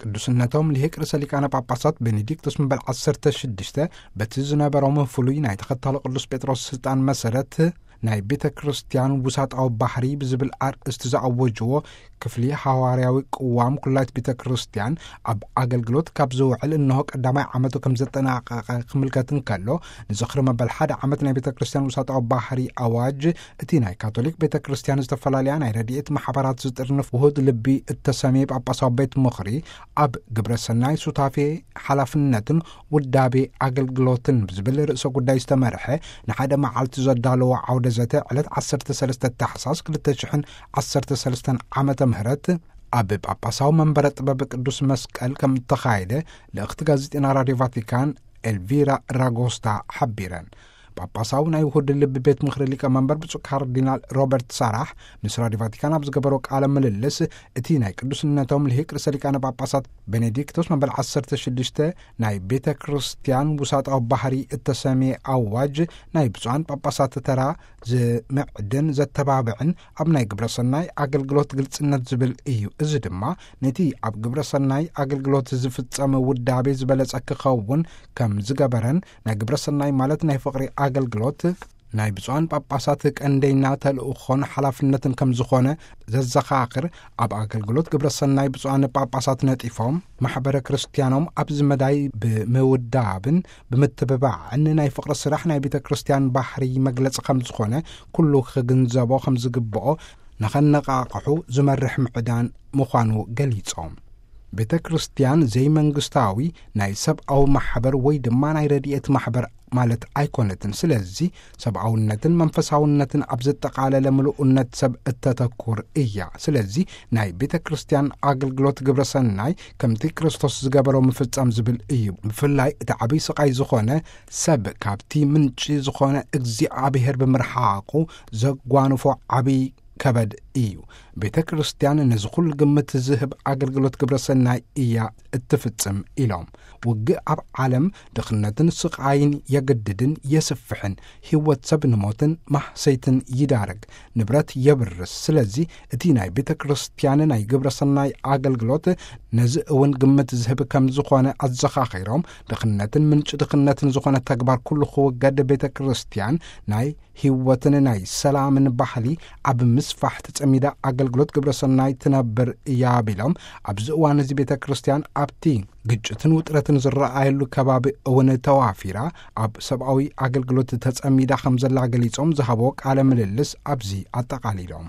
ቅዱስነቶም ሊሄቅ ርእሰ ሊቃነ ጳጳሳት ቤኔዲክቶስ መበል ዓሰርተ ሽዱሽተ በቲ ዝነበሮም ፍሉይ ናይ ተኸታሎ ቅዱስ ጴጥሮስ ስልጣን መሰረት ናይ ቤተ ክርስቲያን ውሳጣዊ ባህሪ ብዝብል ኣርእስቲ ዝኣወጅዎ ክፍሊ ሃዋርያዊ ቅዋም ኩላይት ቤተ ክርስቲያን ኣብ ኣገልግሎት ካብ ዝውዕል እንሆ ቀዳማይ ዓመቱ ከም ዘጠናቀቐ ክምልከት እንከሎ፣ ንዝኽሪ መበል ሓደ ዓመት ናይ ቤተ ክርስቲያን ውሳጣዊ ባህሪ ኣዋጅ እቲ ናይ ካቶሊክ ቤተ ክርስቲያን ዝተፈላለያ ናይ ረድኤት ማሕበራት ዝጥርንፍ ውሁድ ልቢ እተሰምየ ጳጳሳዊ ቤት ምኽሪ ኣብ ግብረ ሰናይ ሱታፌ ሓላፍነትን ውዳቤ ኣገልግሎትን ብዝብል ርእሰ ጉዳይ ዝተመርሐ ንሓደ መዓልቲ ዘዳለዎ ዓውደ ዘተ ዕለት ዓሰርተ ሰለስተ ታሕሳስ ክልተ ሽሕን ዓሰርተ ሰለስተን ዓመተ ምህረት ኣብ ጳጳሳዊ መንበረ ጥበብ ቅዱስ መስቀል ከም እተኻየደ ልእኽቲ ጋዜጠና ራድዮ ቫቲካን ኤልቪራ ራጎስታ ሓቢረን። ጳጳሳዊ ናይ ውሁድ ልቢ ቤት ምኽሪ ሊቀ መንበር ብፁዕ ካርዲናል ሮበርት ሳራሕ ምስ ራድዮ ቫቲካን ኣብ ዝገበሮ ቃለ ምልልስ፣ እቲ ናይ ቅዱስነቶም ልሂቅ ርእሰ ሊቃነ ጳጳሳት ቤኔዲክቶስ መበል ዓሰርተ ሽዱሽተ ናይ ቤተ ክርስቲያን ውሳጣዊ ባህሪ እተሰምየ ኣዋጅ ናይ ብፁዓን ጳጳሳት ተራ ዝምዕድን ዘተባብዕን ኣብ ናይ ግብረ ሰናይ ኣገልግሎት ግልጽነት ዝብል እዩ። እዚ ድማ ነቲ ኣብ ግብረ ሰናይ ኣገልግሎት ዝፍጸም ውዳቤ ዝበለጸ ክኸውን ከም ዝገበረን ናይ ግብረ ሰናይ ማለት ናይ ፍቕሪ ኣገልግሎት ናይ ብፁዓን ጳጳሳት ቀንደይና ተልእኾን ሓላፍነትን ከም ዝኾነ ዘዘኻኽር፣ ኣብ ኣገልግሎት ግብረ ሰናይ ብፁዓን ጳጳሳት ነጢፎም ማሕበረ ክርስቲያኖም ኣብዚ መዳይ ብምውዳብን ብምትብባዕን ናይ ፍቕሪ ስራሕ ናይ ቤተ ክርስቲያን ባህሪ መግለጺ ከም ዝኾነ ኩሉ ክግንዘቦ ከም ዝግብኦ ንኸነቓቕሑ ዝመርሕ ምዕዳን ምዃኑ ገሊጾም። ቤተ ክርስቲያን ዘይመንግስታዊ ናይ ሰብኣዊ ማሕበር ወይ ድማ ናይ ረድኤት ማሕበር ማለት ኣይኮነትን። ስለዚ ሰብኣውነትን መንፈሳውነትን ኣብ ዘጠቓለለ ምሉእነት ሰብ እተተኩር እያ። ስለዚ ናይ ቤተ ክርስቲያን ኣገልግሎት ግብረ ሰናይ ከምቲ ክርስቶስ ዝገበሮ ምፍጻም ዝብል እዩ። ብፍላይ እቲ ዓብይ ስቓይ ዝኾነ ሰብ ካብቲ ምንጪ ዝኾነ እግዚኣብሔር ብምርሓቑ ዘጓንፎ ዓብይ ከበድ እዩ። ቤተ ክርስቲያን ነዚ ኩሉ ግምት ዝህብ ኣገልግሎት ግብረ ሰናይ እያ እትፍጽም ኢሎም። ውግእ ኣብ ዓለም ድኽነትን ስቓይን የገድድን የስፍሕን፣ ህይወት ሰብ ንሞትን ማህሰይትን ይዳርግ፣ ንብረት የብርስ። ስለዚ እቲ ናይ ቤተ ክርስቲያን ናይ ግብረ ሰናይ ኣገልግሎት ነዚ እውን ግምት ዝህብ ከም ዝኾነ ኣዘኻኺሮም፣ ድኽነትን ምንጪ ድኽነትን ዝኾነ ተግባር ኩሉ ክውገድ ቤተ ክርስቲያን ናይ ህይወትን ናይ ሰላምን ባህሊ ኣብ ምስፋሕ ተጸሚዳ ኣገልግሎት ግብረ ሰናይ ትነብር እያ ቢሎም፣ ኣብዚ እዋን እዚ ቤተ ክርስቲያን ኣብቲ ግጭትን ውጥረትን ዝረኣየሉ ከባቢ እውን ተዋፊራ ኣብ ሰብኣዊ ኣገልግሎት ተጸሚዳ ከም ዘላ ገሊጾም ዝሃቦ ቃለ ምልልስ ኣብዚ ኣጠቓሊሎም።